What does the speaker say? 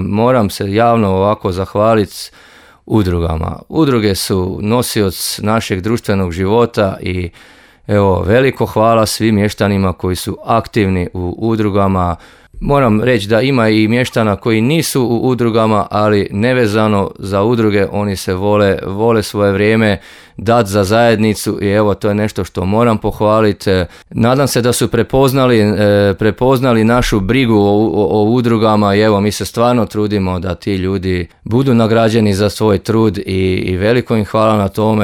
moram se javno ovako zahvaliti udrugama. Udruge su nosioc našeg društvenog života i evo, veliko hvala svim mještanima koji su aktivni u udrugama. Moram reći da ima i mještana koji nisu u udrugama, ali nevezano za udruge, oni se vole svoje vrijeme dati za zajednicu i evo, to je nešto što moram pohvaliti. Nadam se da su prepoznali našu brigu o udrugama i evo, mi se stvarno trudimo da ti ljudi budu nagrađeni za svoj trud i veliko im hvala na tome.